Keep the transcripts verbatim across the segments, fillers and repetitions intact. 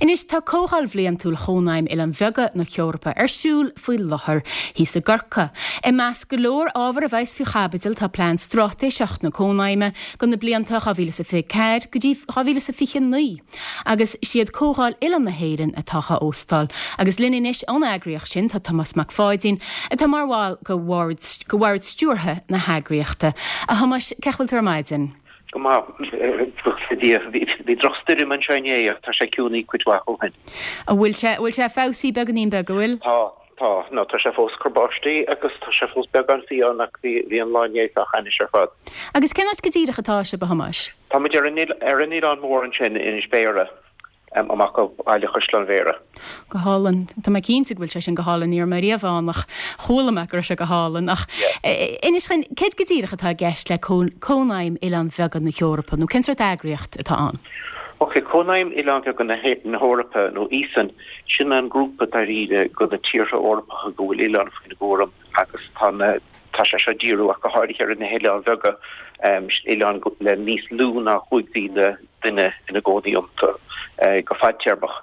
Anois tá Comhdháil Bhliantúil Chónaidhm Oileáin Bheaga na hEorpa ar siúl faoi láthair thíos i gCorcaigh. I measc go leor ábhar a bheas faoi chaibidil tá plean straitéiseach na Cónaidhme do na blianta dhá mhíle is a fiche ceathair go dtí dhá mhíle is a fiche naoi. Agus siad Comhdháil Oileáin na hÉireann atá á óstáil. Agus linn anois ón eagraíocht sin tá Tomás Mac Pháidín atá mar bhall de bhord stiúrtha na heagraíochta. A Thomáis, cén chaoi a bhfuil tú ar maidin? Go maith, buíochas le Dia. Bhí drochstoirm anseo inné ach tá sé ciúnaithe cuid mhaith ó shin. An bhfuil sé, bhfuil sé feabhsaithe beagáinín beag, an bhfuil? Tá, tá. No, tá sé fós ag cur báistí agus tá sé fós beagán fiáin ach bhí, bhí an lá inné sách ainnis ar fad. Agus cén áit go díreach atá sibh, a Thomáis? Tá muid ar an, ar an Oileán Mór ansin, Inis Béarra. amach ó bhaile Chaisleán Bhéarra. Go hálainn. Tá mé cinnte go bhfuil sé sin go hálainn, ní raibh mé riamh ann ach chuala mé go raibh sé go hálainn. Ach inis dúinn, céard go díreach atá i gceist le Cónaidhm Oileáin Bheaga na hEorpa nó cén sórt eagraíocht atá ann? Ok, Cónaidhm Oileáin Bheaga na hEorpa nó EASON, sin an grúpa dáiríre de na tíortha Eorpacha go bhfuil oileáin faoina gcúram agus tá na Tá sé seo ag díriú ach go háirithe ar na hoileáin bheaga, oileáin le níos lú ná chúig mhíle duine ina gcónaí iontu go fadtéarmach.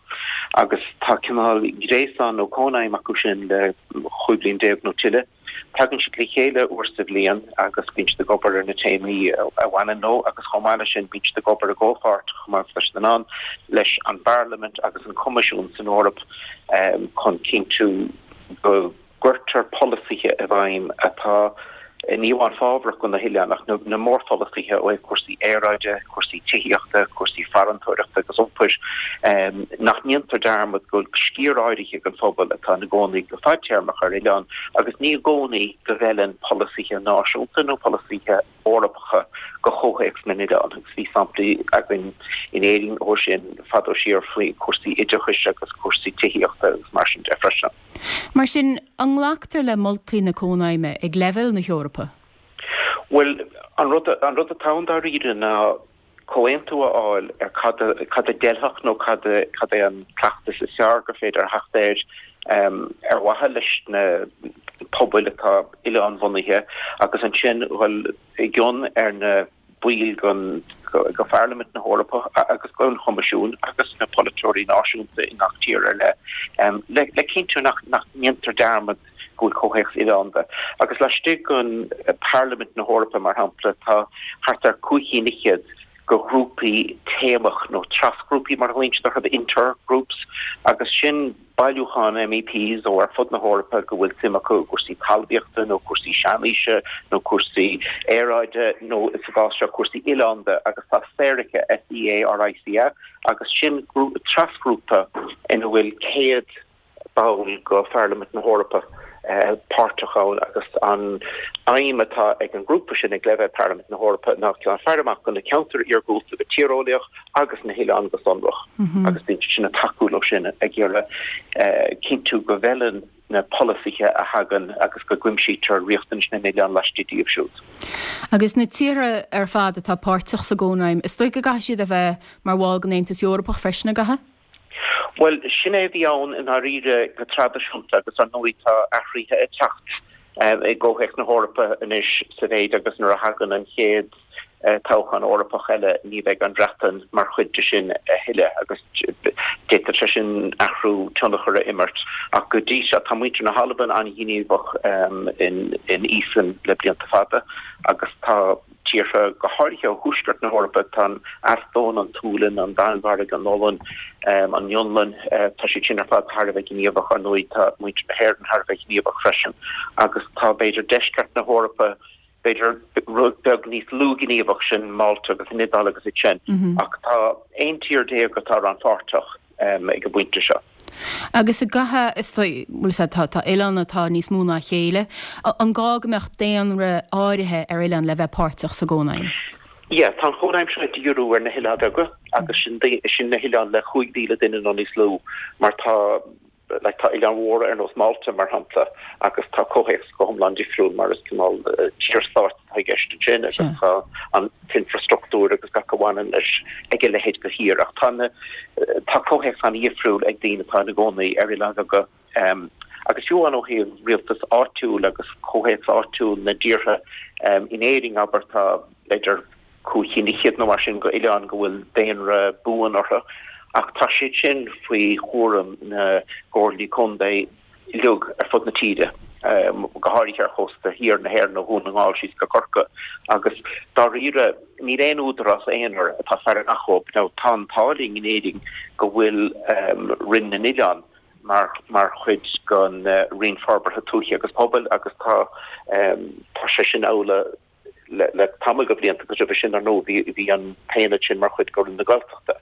Agus tá cineál gréasán nó cónaidhm acu sin le chúig bliain déag nó tuilleadh. Tagann siad le chéile uair sa bhliain agus bíonn siad ag obair ar na téamaí a bhaineann leo agus chomh maith leis sin bíonn siad ag obair i gcomhpháirt chomh maith leis an ann leis an bParlaimint agus an Coimisiún san Eoraip chun cinntiú go gcuirtear polasaithe i bhfeidhm atá ní amháin fábhrach do na hoileáin ach na mórpholasaithe ó thaobh cúrsaí aeráide, cúrsaí tithíochta, cúrsaí farantóireachta agus iompair, nach ndéantar dearmad go bhfuil sciar áirithe den phobal atá ina gcónaí go fadtéarmach ar oileán agus ní i gcónaí go bhfeileann polasaithe náisiúnta nó polasaithe Eorpacha do chomhthéacs na n-oileán agus bhí samplaí againn in Éirinn ó sin fadó siar faoi chúrsaí oideachais agus cúrsaí tithíochta agus mar sin de freisin. Mar sin, an nglactar le moltaí na Cónaidhme ag leibhéal na hEorpa? Bhuel, an rud an rud atá ann dáiríre ná comhaontú a fháil ar cad a cad a d'fheilfeadh nó cad a cad é an cleachtas is fearr gur féidir a theacht air ar mhaithe leis na pobail atá oileánbhunaithe agus ansin dhul i gcion ar na baill den de Pharlaimint na hEorpa agus den Choimisiún agus na polaiteoirí náisiúnta i ngach tír ar leith le le cinntiú nach nach ndéantar dearmad go bhfuil comhthéacs oileánda. Agus laistigh den Pharlaimint na hEorpa, mar shampla, tá thart ar cúig cinn fhichead de ghrúpaí téamach nó trasghrúpaí mar a ghlaonn siad orthu, intergroups, agus sin bailiúchán MEPs ó ar fud na hEorpa go bhfuil suim acu i gcúrsaí talmhaíochta nó cúrsaí seanaoise nó cúrsaí aeráide nó sa gcás seo cúrsaí oileánda agus tá SEARICA, S E A R I C A, agus sin trasghrúpa ina bhfuil céad ball de Pharlaimint na hEorpa páirteach ann agus an aidhm atá ag an ngrúpa sin ag leibhéal Pharlaimint na hEorpa ná cineál faire amach do na ceantair iargúlta go tíreolaíoch agus na hoileáin go sonrach agus bíonn siad sin ag tacú leo sin ag iarraidh cinntiú go bhfeileann na polasaithe a thagann agus go gcuimsítear riachtanais na n-oileán laistigh díobh siúd. Agus na tíortha ar fad atá páirteach sa gCónaidhm, is dóigh go gcaithfidh siad a bheith mar bhall den Aontas Eorpach freisin, an gcaithfidh? Bhuel, sin é a bhí ann i ndáiríre go traidisiúnta agus ar ndóigh tá athruithe ag teacht i gcomhthéacs na hEorpa anois sa mhéid agus nuair a thagann an chéad toghchán Eorpach eile ní bheidh an Bhreatain mar chuid de sin a thuilleadh agus d'fhéadfadh sé sin athrú tionchar a imirt. Ach go dtí seo tá muintir na hAlban an-ghníomhach in EASON le blianta fada agus tá tíortha, go háirithe ó thuaisceart na hEorpa, tá an Eastóin, an tSualainn, an Danmhairg, an Ollainn, an Fhionlainn, tá siad sin ar fad thar a bheith gníomhach. Ar ndóigh, tá muintir na hÉireann thar a bheith gníomhach freisin agus tá, b'fhéidir, deisceart na hEorpa, b'fhéidir, rud beag níos lú gníomhach, sin Málta agus an Iodáil agus iad sin. Ach tá aon tír déag atá rannpháirteach. ag an bpointe seo. Agus an gcaithfidh, is dóigh, bhuel is ea, tá, tá oileáin atá níos mó ná a chéile. An gá go mbeadh daonra áirithe ar oileán le bheith páirteach sa gCónaidhm? Yeah, tá an Chónaidhm seo ag díriú ar na hoileáin bheaga agus sin, sin na hoileáin le chúig mhíle duine nó níos lú mar tá, like tá oileáin mhóra ar nós Málta mar shampla agus tá comhthéacs go hiomlán difriúil mar is cineál tír-stáit atá i gceist ansin agus tá an t-infreastruchtúr agus gach a bhaineann leis ag a leithéid de thír ach tá na tá comhthéacs an-dhifriúil ag daoine atá ina gcónaí ar oileáin bheaga agus fiú amháin ó thaobh rialtas áitiúil agus comhthéacs áitiúil na dtíortha in Éirinn abair tá b'fhéidir cúig cinn fhichead nó mar sin d'oileáin go bhfuil daonra buan orthu ach tá siad sin faoi chúram na gcomhairlí contae uilig ar fud na tíre, go háirithe ar chósta thiar na hÉireann ó Dhún na nGall síos go Corcaigh, agus dáiríre níl aon údarás aonair atá ag faire amach dhóibh. Now tá an t-ádh linn in Éirinn go bhfuil Roinn na nOileán mar mar chuid den Roinn Forbartha Tuaithe agus Pobail agus tá tá sé sin amhlaidh le tamall de bhlianta agus roimhe sin, ar ndóigh, bhí bhí an t-aonad sin mar chuid de Roinn na Gaeltachta.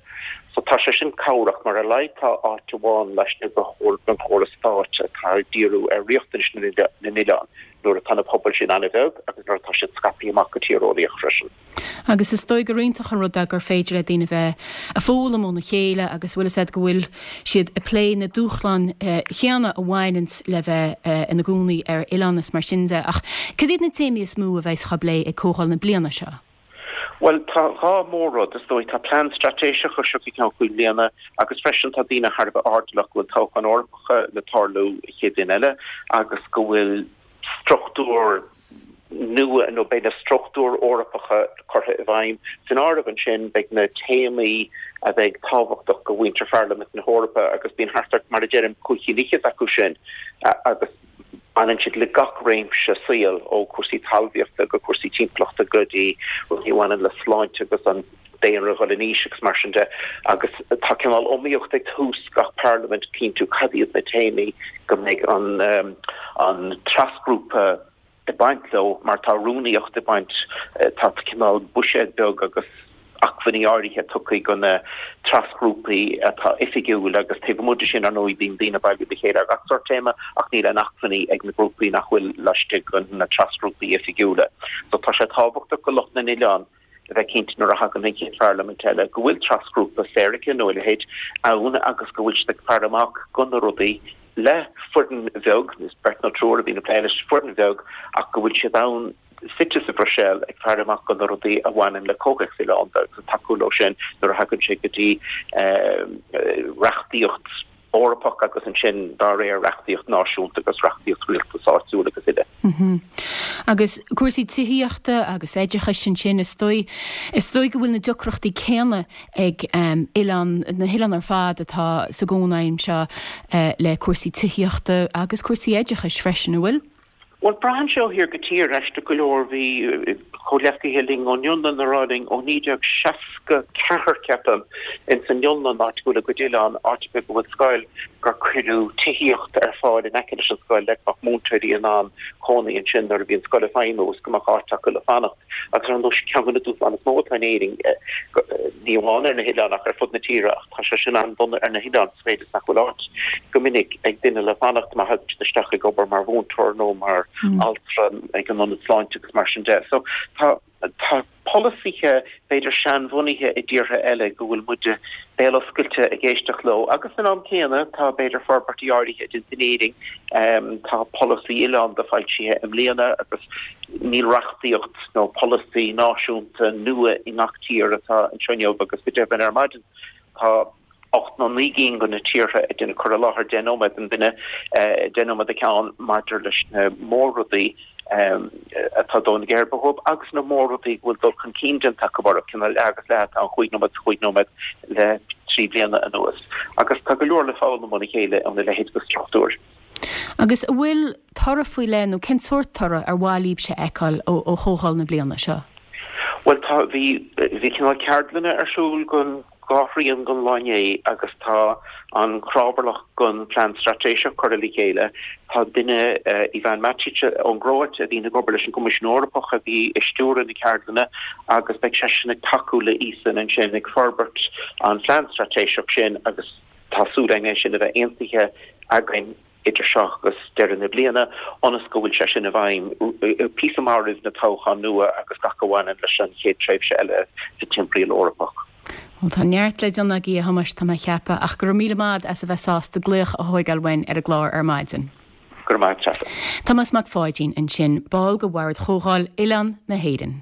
So tá sé sin cabhrach mar ar a laghad tá áit amháin laistigh den chóras stáit atá ag díriú ar riachtanais na n-oileán nuair atá na pobail sin an-bheag agus nuair atá siad scaipthe amach go tíreolaíoch freisin. Agus is dóigh gur iontach an rud é gur féidir le daoine bheith ag foghlaim óna chéile agus bhfuil fhios a'd go bhfuil siad ag plé na dúshláin chéanna a bhaineanns le bheith ina gcónaí ar oileán is mar sin de. Ach cad iad na téamaí is mó a bheas á bplé ag comhdháil na bliana seo? Bhuel, tá dhá mhór-rud, is dóigh. Tá plean straitéiseach ar seo go ceann cúig bliana agus freisin tá daoine thar a bheith airdeallach go bhfuil toghcháin Eorpacha le tarlú an chéad bhliain eile agus go bhfuil struchtúr nua nó beidh na struchtúir Eorpacha curtha i bhfeidhm. San áireamh ansin beidh na téamaí a bheidh tábhachtach do mhuintir Pharlaimint na hEorpa agus bíonn thart ar, mar a deirim, cúig cinn fhichead acu sin agus baineann siad le gach réimse saoil, ó chúrsaí talmhaíochta go cúrsaí timpeallachta go dtí rudaí a bhaineann le sláinte agus an daonra ag dul in aois agus mar sin de, agus tá cineál iomaíocht ag tús gach parlaimint cinntiú cad iad na téamaí go mbeidh an an trasghrúpa ag baint leo mar tá rúnaíocht ag baint, tá cineál buiséad beag agus acmhainní áirithe tugtha do na trasghrúpaí atá oifigiúil agus taobh amuigh de sin ar ndóigh bíonn daoine ag bailiú le chéile ar gach sórt téama ach níl aon acmhainní ag na grúpaí nach bhfuil laistigh de na trasghrúpaí oifigiúla. So tá sé tábhachtach do lucht na n-oileán a bheith cinnte nuair a thagann an chéad pharlaimint eile go bhfuil trasghrúpa SERICE nó a leithéid ann agus go bhfuil siad ag faire amach do na rudaí le foireann bheag, is beirt nó triúr a bhíonn ag plé leis, foireann bheag ach go bhfuil siad ann suite sa Bhruiséil ag faire amach do na rudaí a bhaineann le comhthéacs oileánda agus ag tacú leo sin nuair a thagann sé go dtí reachtaíocht Eorpach agus ansin dá réir reachtaíocht náisiúnta agus reachtaíocht rialtas áitiúil agus uile. Agus cúrsaí tithíochta agus oideachais ansin, is dóigh, is dóigh go bhfuil na deacrachtaí céanna ag oileán, na hoileáin ar fad atá sa gCónaidhm seo le cúrsaí tithíochta agus cúrsaí oideachais freisin, an bhfuil? Bhuel, braitheann sé ó thír go tír, aisteach go leor. Bhí comhghleacaithe linn ón Fhionlainn ag rá linn ó naoi déag seasca ceathair, ceapaim, ins an Fhionlainn, áit go bhfuil a gcuid oileán, áit ar bith go bhfuil scoil, gur cuireadh tithíocht ar fáil in aice leis an scoil le go mbeadh múinteoirí in ann cónaí ansin nuair a bhí an scoil ag feidhmiú is go mbeadh áit acu le fanacht. Agus ar ndóigh, ceann de na dúshláin is mó atá in Éirinn, ní amháin ar na hoileáin ach ar fud na tíre, ach tá sé sin an-dona ar na hoileáin, sa mhéid is nach bhfuil áit go minic ag duine le fanacht má thagann siad isteach ag obair mar mhúinteoir nó mar altra ag an ionad sláinte agus mar sin de. So tá tá polasaithe b'fhéidir seanbhunaithe i dtíortha eile go bhfuil muide béal oscailte ag éisteacht leo agus san am céanna tá b'fhéidir forbairtí áirithe déanta in Éirinn. Tá polasaí oileánda foilsithe i mbliana agus níl reachtaíocht nó polasaí náisiúnta nua i ngach tír atá anseo inniu agus go deimhin ar maidin tá ocht nó naoi gcinn de na tíortha ag déanamh cur i láthair deich nóiméad an duine, deich nóiméad an ceann, maidir leis na mór-rudaí atá ag dó na geirbe dhóibh agus na mór-rudaí go bhfuil dul chun cinn déanta acu orthu, cineál leath agus leath atá an chúig nóiméad is chúig nóiméad le trí bliana anuas. Agus tá go leor le foghlaim óna chéile óna leithéid de struchtúir. Agus an bhfuil toradh faoi leith nó cén sórt toradh ar mhaith libhse a fheiceáil ó chomhdháil na bliana seo? Bhuel tá, bhí, bhí cineál ceardlanna ar siúl don dhá thrian den lá inné agus tá an chrábhairleach don phlean straitéiseach curtha le chéile. Tá duine, Ivan Matić ón gCróit, a bhíonn ag obair leis an gCoimisiún Eorpach a bhí ag stiúradh na ceardlainne agus beidh seisean ag tacú le ESIN ansin ag forbairt an phlean straitéiseach sin agus tá súil againn é sin a bheith aontaithe againn idir seo agus deireadh na bliana, ionas go bhfuil sé sin i bhfeidhm píosa maith roimh na toghcháin nua agus gach a bhaineann leis an chéad tréimhse eile sa timthriall Eorpach. Bhuel, tá neart le déanamh agaibh, a Thomáis, tá mé a cheapadh, ach go raibh míle maith agat as a bheith sásta glaoch a thóigeáil uainn ar an gclár ar maidin. Go raibh maith agat, Treasa. Tomás Mac Pháidín ansin, ball de Bhord Chomhdháil Oileán na hÉireann.